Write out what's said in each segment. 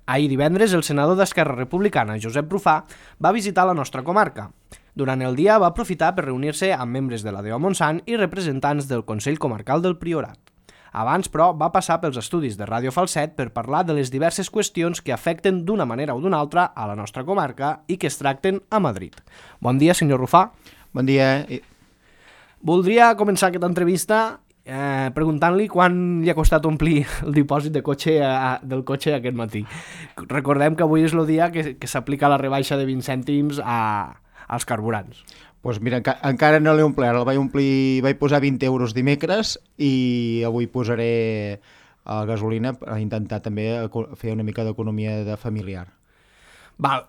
Ahir divendres, el senador d'Esquerra Republicana, Josep Rufà, va visitar la nostra comarca. Durant el dia va aprofitar per reunir-se amb membres de la DEO Montsant i representants del Consell Comarcal del Priorat. Abans, però, va passar pels estudis de Ràdio Falset per parlar de les diverses qüestions que afecten d'una manera o d'una altra a la nostra comarca i que es tracten a Madrid. Bon dia, senyor Rufà. Bon dia. Voldria començar aquesta entrevista preguntant-li quan li ha costat omplir el dipòsit del cotxe aquest matí. Recordem que avui és el dia que s'aplica la rebaixa de 20 cèntims als carburants. Doncs mira, encara no l'he omplert, vaig posar 20 euros dimecres i avui posaré la gasolina per intentar també fer una mica d'economia de familiar. Val,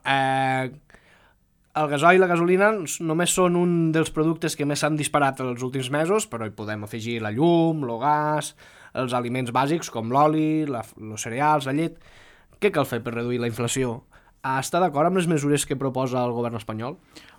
el gasoil i la gasolina només són un dels productes que més s'han disparat els últims mesos, però hi podem afegir la llum, el gas, els aliments bàsics com l'oli, els cereals, la llet. Què cal fer per reduir la inflació? Està d'acord amb les mesures que proposa el govern espanyol?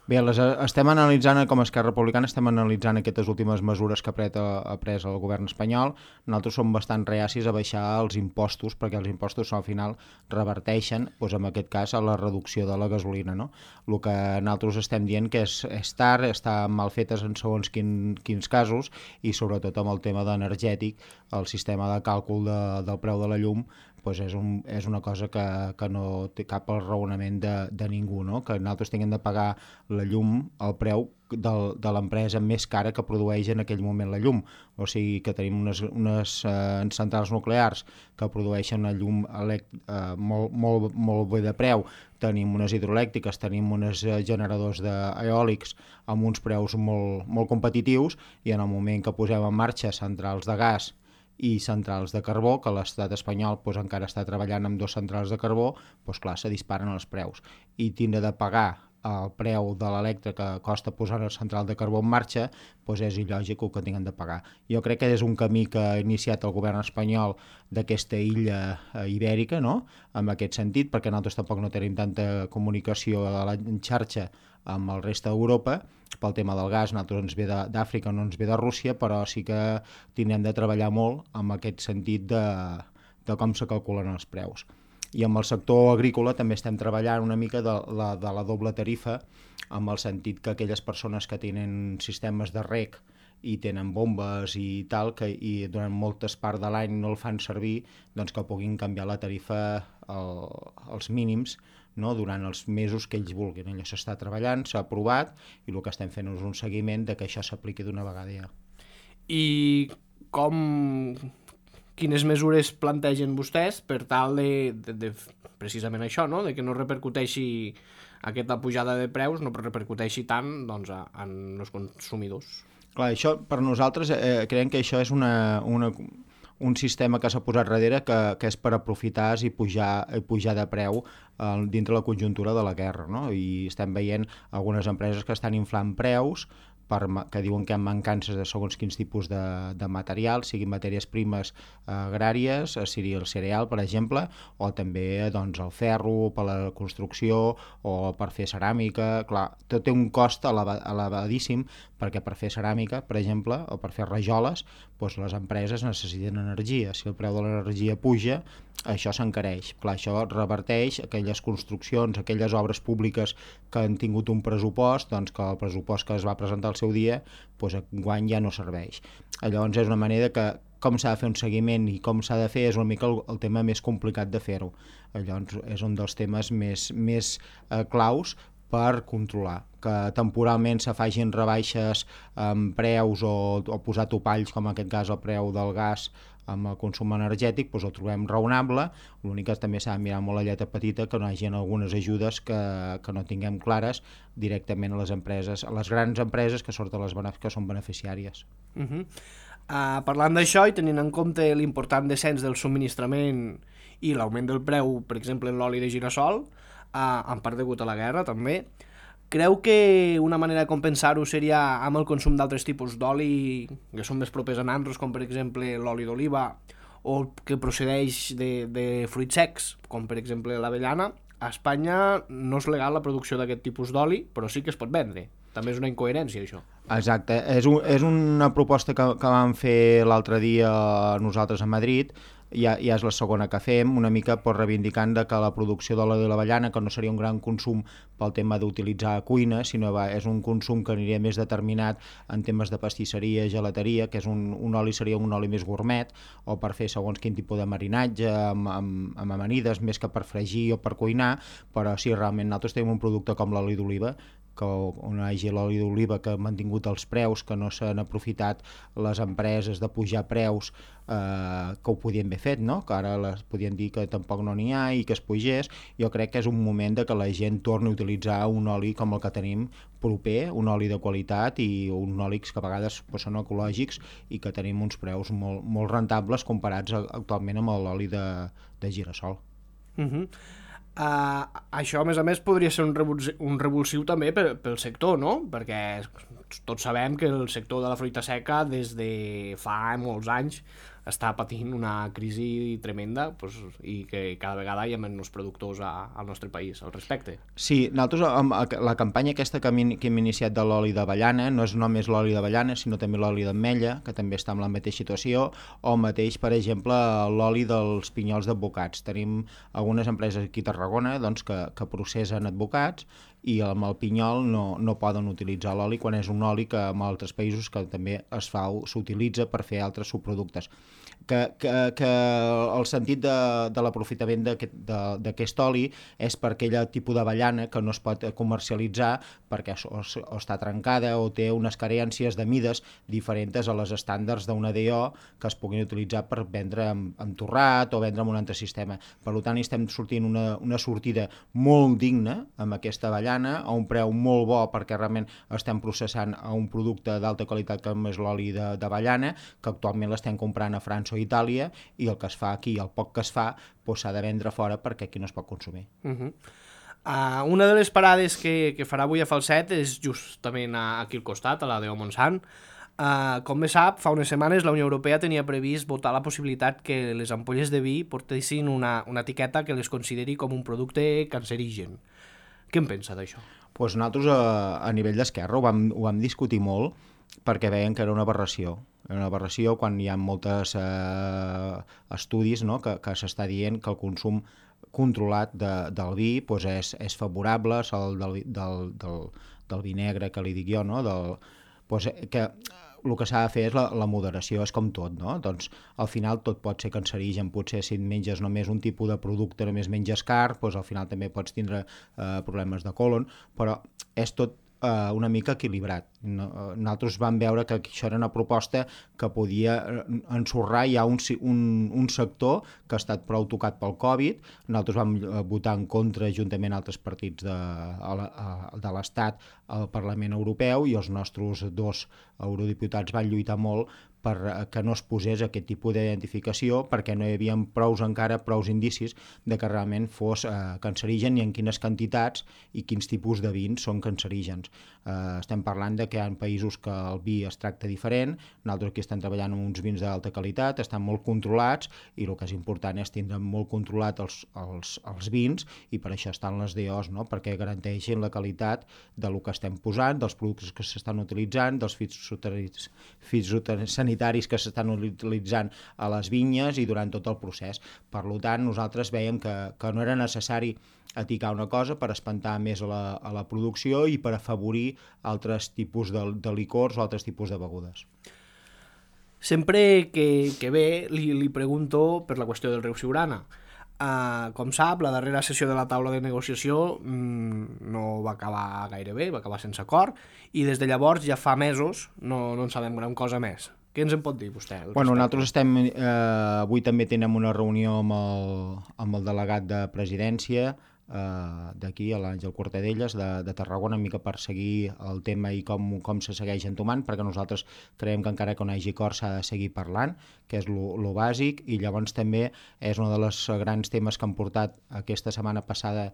Bé, estem analitzant, com a Esquerra Republicana, estem analitzant aquestes últimes mesures que ha pres el govern espanyol. Nosaltres som bastant reacis a baixar els impostos, perquè els impostos al final reverteixen, doncs en aquest cas, a la reducció de la gasolina. No? El que nosaltres estem dient que és tard, està mal fetes en segons quins casos, i sobretot amb el tema d'energètic, el sistema de càlcul del preu de la llum, doncs és una cosa que no té cap raonament de ningú, no? Que nosaltres tinguem de pagar la llum al preu de l'empresa més cara que produeix en aquell moment la llum. O sigui que tenim unes centrals nuclears que produeixen una llum molt bé de preu, tenim unes hidroelèctriques, tenim uns generadors eòlics amb uns preus molt competitius, i en el moment que posem en marxa centrals de gas i centrals de carbó, que l'estat espanyol encara està treballant amb 2 centrals de carbó, clar, se disparen els preus. I tindre de pagar el preu de l'electre que costa posar la central de carbó en marxa, és il·lògic que tinguem de pagar. Jo crec que és un camí que ha iniciat el govern espanyol d'aquesta illa ibèrica, no? En aquest sentit, perquè nosaltres tampoc no tenim tanta comunicació en xarxa amb el reste d'Europa. Pel tema del gas, nosaltres ens ve d'Àfrica, no ens ve de Rússia, però sí que tindrem de treballar molt en aquest sentit de com se calculen els preus. I amb el sector agrícola també estem treballant una mica de la doble tarifa, amb el sentit que aquelles persones que tenen sistemes de reg i tenen bombes i tal, i durant moltes parts de l'any no el fan servir, doncs que puguin canviar la tarifa als mínims, no? Durant els mesos que ells vulguin. Allò s'està treballant, s'ha aprovat, i el que estem fent és un seguiment de que això s'apliqui d'una vegada ja. I quines mesures plantegen vostès per tal de precisament això, no? De que no repercuteixi aquesta pujada de preus, no repercuteixi tant en els consumidors? Clar, això per nosaltres creiem que això és un sistema que s'ha posat darrere que és per aprofitar i pujar de preu dintre la conjuntura de la guerra, no? I estem veient algunes empreses que estan inflant preus que diuen que hi ha mancances de segons quins tipus de material, siguin matèries primes agràries, sigui el cereal, per exemple, o també el ferro per la construcció o per fer ceràmica. Clar, tot té un cost elevadíssim, perquè per fer ceràmica, per exemple, o per fer rajoles, les empreses necessiten energia. Si el preu de l'energia puja, això s'encareix. Clar, això reverteix aquelles construccions, aquelles obres públiques que han tingut un pressupost, que el pressupost que es va presentar al seu dia, enguany ja no serveix. Llavors és una manera que com s'ha de fer un seguiment i com s'ha de fer és una mica el tema més complicat de fer-ho. Llavors és un dels temes més claus per controlar, que temporalment se facin rebaixes en preus o posar topalls, com en aquest cas el preu del gas amb el consum energètic, ho trobem raonable. L'únic que també s'ha de mirar molt la lletra petita, que no hi hagi algunes ajudes que no tinguem clares directament a les empreses, a les grans empreses que són beneficiàries. Parlant d'això i tenint en compte l'important descens del subministrament i l'augment del preu, per exemple, en l'oli de gira-sol, en part degut a la guerra també, creu que una manera de compensar-ho seria amb el consum d'altres tipus d'oli que són més propers a nandros, com per exemple l'oli d'oliva, o que procedeix de fruits secs, com per exemple l'avellana? A Espanya no és legal la producció d'aquest tipus d'oli, però sí que es pot vendre. També és una incoherència, això. Exacte, és una proposta que vam fer l'altre dia nosaltres a Madrid, ja és la segona que fem, una mica reivindicant que la producció d'oli de l'avellana, que no seria un gran consum pel tema d'utilitzar a cuina, sinó és un consum que aniria més determinat en temes de pastisseria, gelateria, que és un oli seria un oli més gourmet, o per fer segons quin tipus de marinatge, amb amanides, més que per fregir o per cuinar, però sí, realment nosaltres tenim un producte com l'oli d'oliva, que on hi hagi l'oli d'oliva que ha mantingut els preus, que no s'han aprofitat les empreses de pujar preus, que ho podien haver fet, no? Que ara les podien dir que tampoc no n'hi ha i que es pugés. Jo crec que és un moment de que la gent torni a utilitzar un oli com el que tenim proper, un oli de qualitat i un oli que a vegades són ecològics i que tenim uns preus molt, molt rentables comparats actualment amb l'oli de girassol. Això, a més, podria ser un revulsiu també pel sector, no? Perquè tots sabem que el sector de la fruita seca des de fa molts anys està patint una crisi tremenda, i que cada vegada hi ha menys productors al nostre país al respecte. Sí, nosaltres la campanya aquesta que hem iniciat de l'oli d'avellana no és només l'oli d'avellana, sinó també l'oli d'ametlla, que també està en la mateixa situació, o mateix, per exemple, l'oli dels pinyols d'advocats. Tenim algunes empreses aquí a Tarragona que processen advocats i amb el pinyol no poden utilitzar l'oli quan és un oli que en altres països que també s'utilitza per fer altres subproductes. Que el sentit de l'aprofitament d'aquest oli és per aquell tipus d'avellana que no es pot comercialitzar perquè o està trencada o té unes carències de mides diferents a les estàndards d'una DO que es puguin utilitzar per vendre amb torrat o vendre amb un altre sistema. Per tant, estem sortint una sortida molt digna amb aquesta avellana a un preu molt bo perquè realment estem processant a un producte d'alta qualitat com és l'oli d'avellana, que actualment l'estem comprant a França o Itàlia, i el que es fa aquí, el poc que es fa, s'ha de vendre fora perquè aquí no es pot consumir. Una de les parades que farà avui a Falset és justament aquí al costat, a la de Montsant. Com bé sap, fa unes setmanes la Unió Europea tenia previst votar la possibilitat que les ampolles de vi portessin una etiqueta que les consideri com un producte cancerigen. Què en pensa d'això? Nosaltres a nivell d'Esquerra ho vam discutir molt perquè veien que era una aberració. Era una aberració quan hi ha molts estudis, no? que s'està dient que el consum controlat del vi és favorable, del vi negre que li dic jo, no? Que el que s'ha de fer és la moderació, és com tot, no? Doncs al final tot pot ser cancerigen, potser si et menges només un tipus de producte, només menges carn, al final també pots tindre problemes de colon, però és tot una mica equilibrat. Nosaltres vam veure que això era una proposta que podia ensorrar ja un sector que ha estat prou tocat pel Covid. Nosaltres vam votar en contra juntament a altres partits de l'Estat al Parlament Europeu i els nostres 2 eurodiputats van lluitar molt perquè no es posés aquest tipus d'identificació perquè no hi havia prous indicis de que realment fos cancerigen i en quines quantitats i quins tipus de vins són cancerígens. Estem parlant de que hi ha països que el vi es tracta diferent, nosaltres aquí estem treballant amb uns vins d'alta qualitat, estan molt controlats i el que és important és tindre molt controlat els vins i per això estan les DOs, no? Perquè garanteixin la qualitat del que estem posant, dels productes que s'estan utilitzant, dels fitosanitaris que s'estan utilitzant a les vinyes i durant tot el procés. Per tant, nosaltres veiem que no era necessari etiquetar una cosa per espantar més a la producció i per afavorir altres tipus de licors o altres tipus de begudes. Sempre que ve li pregunto per la qüestió del riu Siurana. Com sap, la darrera sessió de la taula de negociació no va acabar gaire bé, va acabar sense acord, i des de llavors ja fa mesos no en sabem gran cosa més. Què ens en pot dir vostè? Nosaltres avui també tenim una reunió amb el delegat de presidència d'aquí, l'Àngel Cortadelles, de Tarragona, una mica per seguir el tema i com se segueix entomant, perquè nosaltres creiem que encara que no hi hagi acord s'ha de seguir parlant, que és lo bàsic, i llavors també és un dels grans temes que han portat aquesta setmana passada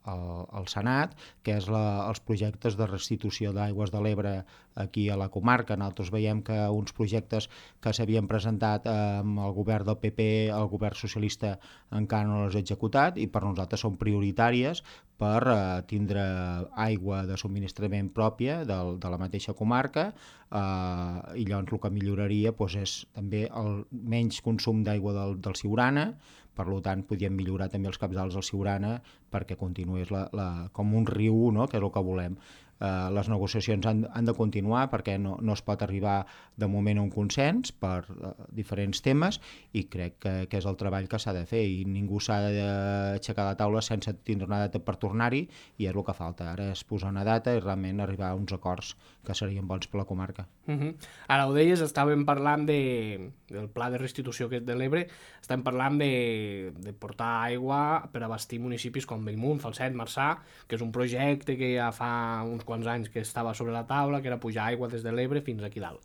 al Senat, que és els projectes de restitució d'aigües de l'Ebre aquí a la comarca. Nosaltres veiem que uns projectes que s'havien presentat amb el govern del PP, el govern socialista encara no els ha executat, i per nosaltres són prioritàries per tindre aigua de subministrament pròpia de la mateixa comarca, i llavors el que milloraria és també el menys consum d'aigua del Siurana. Per tant, podríem millorar també els cabals del Siurana perquè continués com un riu, no?, que és el que volem. Les negociacions han de continuar perquè no es pot arribar de moment a un consens per diferents temes, i crec que és el treball que s'ha de fer, i ningú s'ha d'aixecar la taula sense tindre una data per tornar-hi, i és el que falta. Ara és posar una data i realment arribar a uns acords que serien bons per la comarca. Ara ho deies, estàvem parlant del pla de restitució aquest de l'Ebre, estem parlant de portar aigua per abastir municipis com Bellmunt, Falset, Marçà, que és un projecte que ja fa uns quants anys que estava sobre la taula, que era pujar aigua des de l'Ebre fins aquí dalt.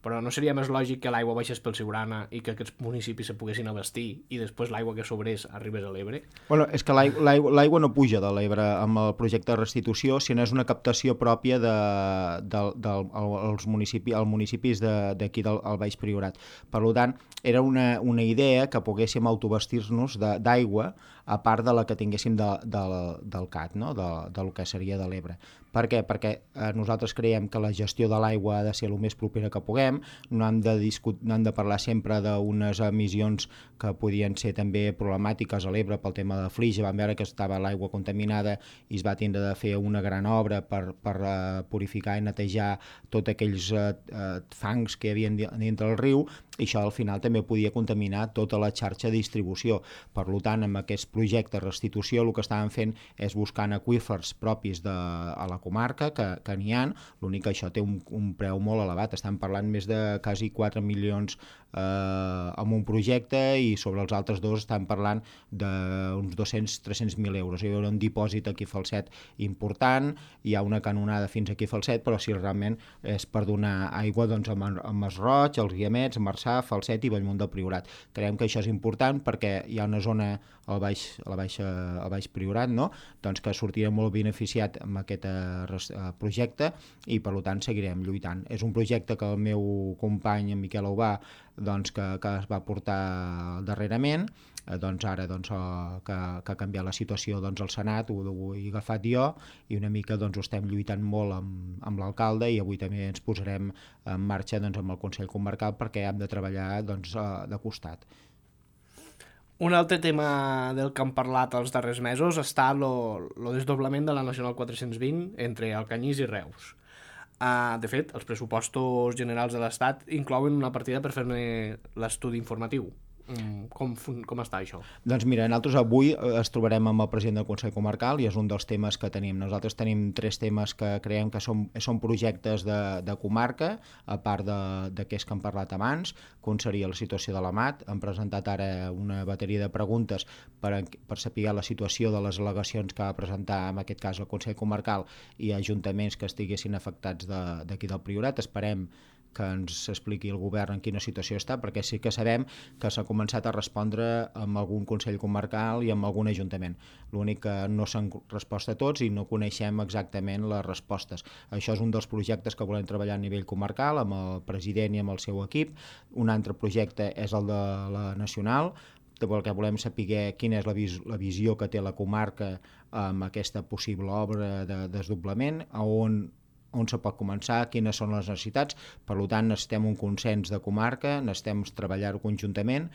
Però no seria més lògic que l'aigua baixés pel Siurana i que aquests municipis se poguessin abastir i després l'aigua que sobrés arribés a l'Ebre? Bueno, és que l'aigua no puja de l'Ebre amb el projecte de restitució, sinó és una captació pròpia als municipis d'aquí del Baix Priorat. Per tant, era una idea que poguéssim autobastir-nos d'aigua a part de la que tinguéssim del CAT, no?, del que seria de l'Ebre. Per què? Perquè nosaltres creiem que la gestió de l'aigua ha de ser el més propera que puguem, no hem de parlar sempre d'unes emissions que podien ser també problemàtiques a l'Ebre pel tema de flix. Vam veure que estava l'aigua contaminada i es va tindre de fer una gran obra per purificar i netejar tots aquells fangs que hi havia dintre del riu, i això al final també podia contaminar tota la xarxa de distribució. Per tant, amb aquest projecte de restitució el que estàvem fent és buscant aqüífers propis a la comarca, que n'hi ha, l'únic que això té un preu molt elevat, estem parlant més de quasi 4 milions amb un projecte, i sobre els altres dos estem parlant d'uns 200-300.000 euros. Hi haurà un dipòsit aquí a Falset important, hi ha una canonada fins aquí a Falset, però si realment és per donar aigua a Masroig, als Guiamets, a Marçà, Falset i Bellmunt del Priorat. Creiem que això és important perquè hi ha una zona al Baix Priorat, no?, doncs que sortirà molt beneficiat amb aquest projecte, i per tant seguirem lluitant. És un projecte que el meu company, en Miquel Aubà, doncs, que es va portar darrerament, doncs ara que ha canviat la situació al Senat, ho he agafat jo, i una mica ho estem lluitant molt amb l'alcalde, i avui també ens posarem en marxa amb el Consell Comarcal perquè hem de treballar de costat. Un altre tema del que hem parlat els darrers mesos està el desdoblament de la Nacional 420 entre Alcanyís i Reus. De fet, els pressupostos generals de l'Estat inclouen una partida per fer-ne l'estudi informatiu. Com està això? Doncs mira, nosaltres avui es trobarem amb el president del Consell Comarcal, i és un dels temes que tenim. Nosaltres tenim 3 temes que creiem que són projectes de comarca, a part d'aquests que hem parlat abans, com seria la situació de l'AMAT. Hem presentat ara una bateria de preguntes per saber la situació de les al·legacions que va presentar, en aquest cas, el Consell Comarcal i ajuntaments que estiguessin afectats d'aquí del Priorat. Esperem que ens expliqui el govern en quina situació està, perquè sí que sabem que s'ha començat a respondre amb algun Consell Comarcal i amb algun ajuntament. L'únic que no s'han respost a tots i no coneixem exactament les respostes. Això és un dels projectes que volem treballar a nivell comarcal, amb el president i amb el seu equip. Un altre projecte és el de la Nacional, perquè volem saber quina és la visió que té la comarca amb aquesta possible obra de desdoblament, on se pot començar, quines són les necessitats. Per tant, necessitem un consens de comarca, necessitem treballar-ho conjuntament,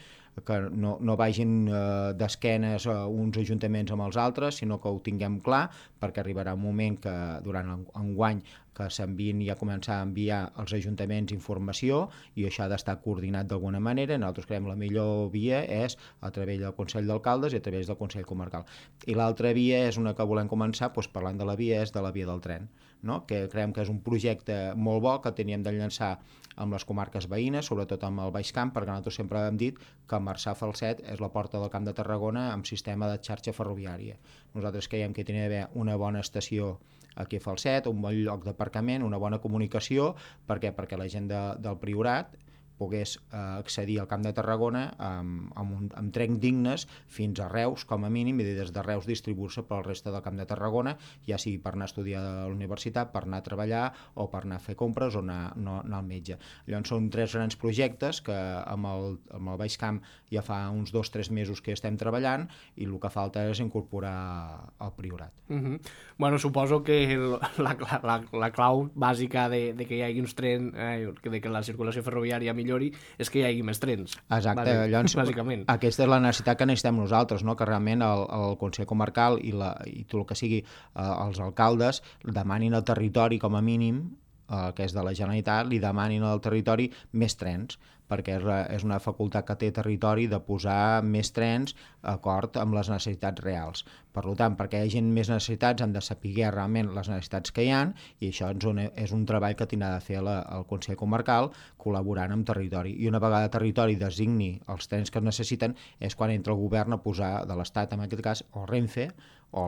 que no vagin d'esquenes uns ajuntaments amb els altres, sinó que ho tinguem clar, perquè arribarà un moment que durant enguany que s'enviïn i a començar a enviar als ajuntaments informació, i això ha d'estar coordinat d'alguna manera. Nosaltres creiem la millor via és a través del Consell d'Alcaldes i a través del Consell Comarcal. I l'altra via és una que volem començar, parlant de la via, és de la via del tren, no?, que creiem que és un projecte molt bo que teníem de llançar amb les comarques veïnes, sobretot amb el Baix Camp, perquè nosaltres sempre hem dit que Marçà-Falset és la porta del Camp de Tarragona amb sistema de xarxa ferroviària. Nosaltres creiem que hauria d'haver una bona estació aquí a Falset, un bon lloc d'aparcament, una bona comunicació. Per què? Perquè la gent del Priorat pogués accedir al Camp de Tarragona amb tren dignes fins a Reus, com a mínim, i des de Reus distribuir-se pel reste del Camp de Tarragona, ja sigui per anar a estudiar a la universitat, per anar a treballar o per anar a fer compres o anar al metge. Llavors són 3 grans projectes que amb el Baix Camp ja fa uns 2-3 mesos que estem treballant i el que falta és incorporar el Priorat. Bueno, suposo que la clau bàsica de que hi hagi uns trens, de que la circulació ferroviària millori, és que hi hagi més trens. Exacte, llavors bàsicament. Aquesta és la necessitat que necessitem nosaltres, no? Que realment el Consell Comarcal i tot el que sigui els alcaldes demanin al territori com a mínim, que és de la Generalitat, li demanin al territori més trens, perquè és una facultat que té territori de posar més trens d'acord amb les necessitats reals. Per tant, perquè hi hagi més necessitats han de saber realment les necessitats que hi ha, i això és un treball que tindrà de fer el Consell Comarcal col·laborant amb territori. I una vegada territori designi els trens que es necessiten és quan entra el govern a posar, de l'Estat en aquest cas, o Renfe, o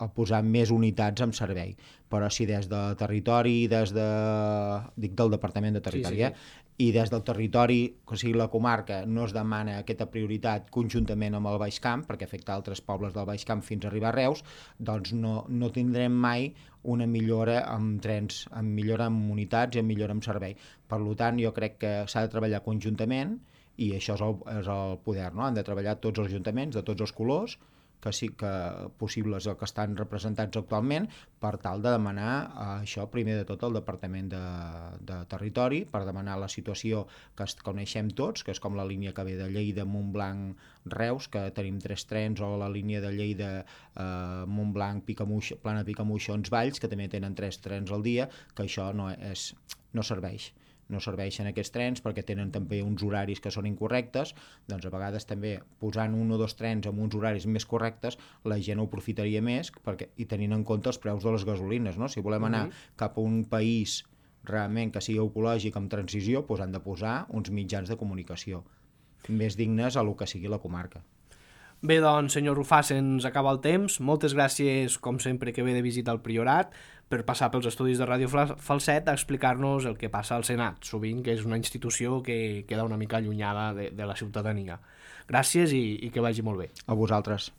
a posar més unitats en servei. Però si des de territori, dic del Departament de Territori, i des del territori, o sigui la comarca, no es demana aquesta prioritat conjuntament amb el Baix Camp, perquè afecta altres pobles del Baix Camp fins a arribar a Reus, doncs no tindrem mai una millora amb trens, amb millora amb unitats i amb millora amb servei. Per tant, jo crec que s'ha de treballar conjuntament, i això és el poder, no? Han de treballar tots els ajuntaments, de tots els colors, que sí que possibles o que estan representats actualment, per tal de demanar això primer de tot al Departament de Territori, per demanar la situació que coneixem tots, que és com la línia que ve de Lleida, Montblanc, Reus, que tenim 3 trens, o la línia de Lleida, Montblanc, Plana, Picamoixons, Valls, que també tenen 3 trens al dia, que això no serveix. No serveixen aquests trens perquè tenen també uns horaris que són incorrectes, doncs a vegades també posant 1 o 2 trens amb uns horaris més correctes la gent ho aprofitaria més i tenint en compte els preus de les gasolines, no? Si volem anar cap a un país realment que sigui ecològic amb transició, doncs han de posar uns mitjans de comunicació més dignes a lo que sigui la comarca. Bé, doncs, senyor Rufà, se'ns acaba el temps. Moltes gràcies, com sempre, que ve de visita al Priorat, per passar pels estudis de Ràdio Falset a explicar-nos el que passa al Senat, sovint que és una institució que queda una mica allunyada de la ciutadania. Gràcies i que vagi molt bé. A vosaltres.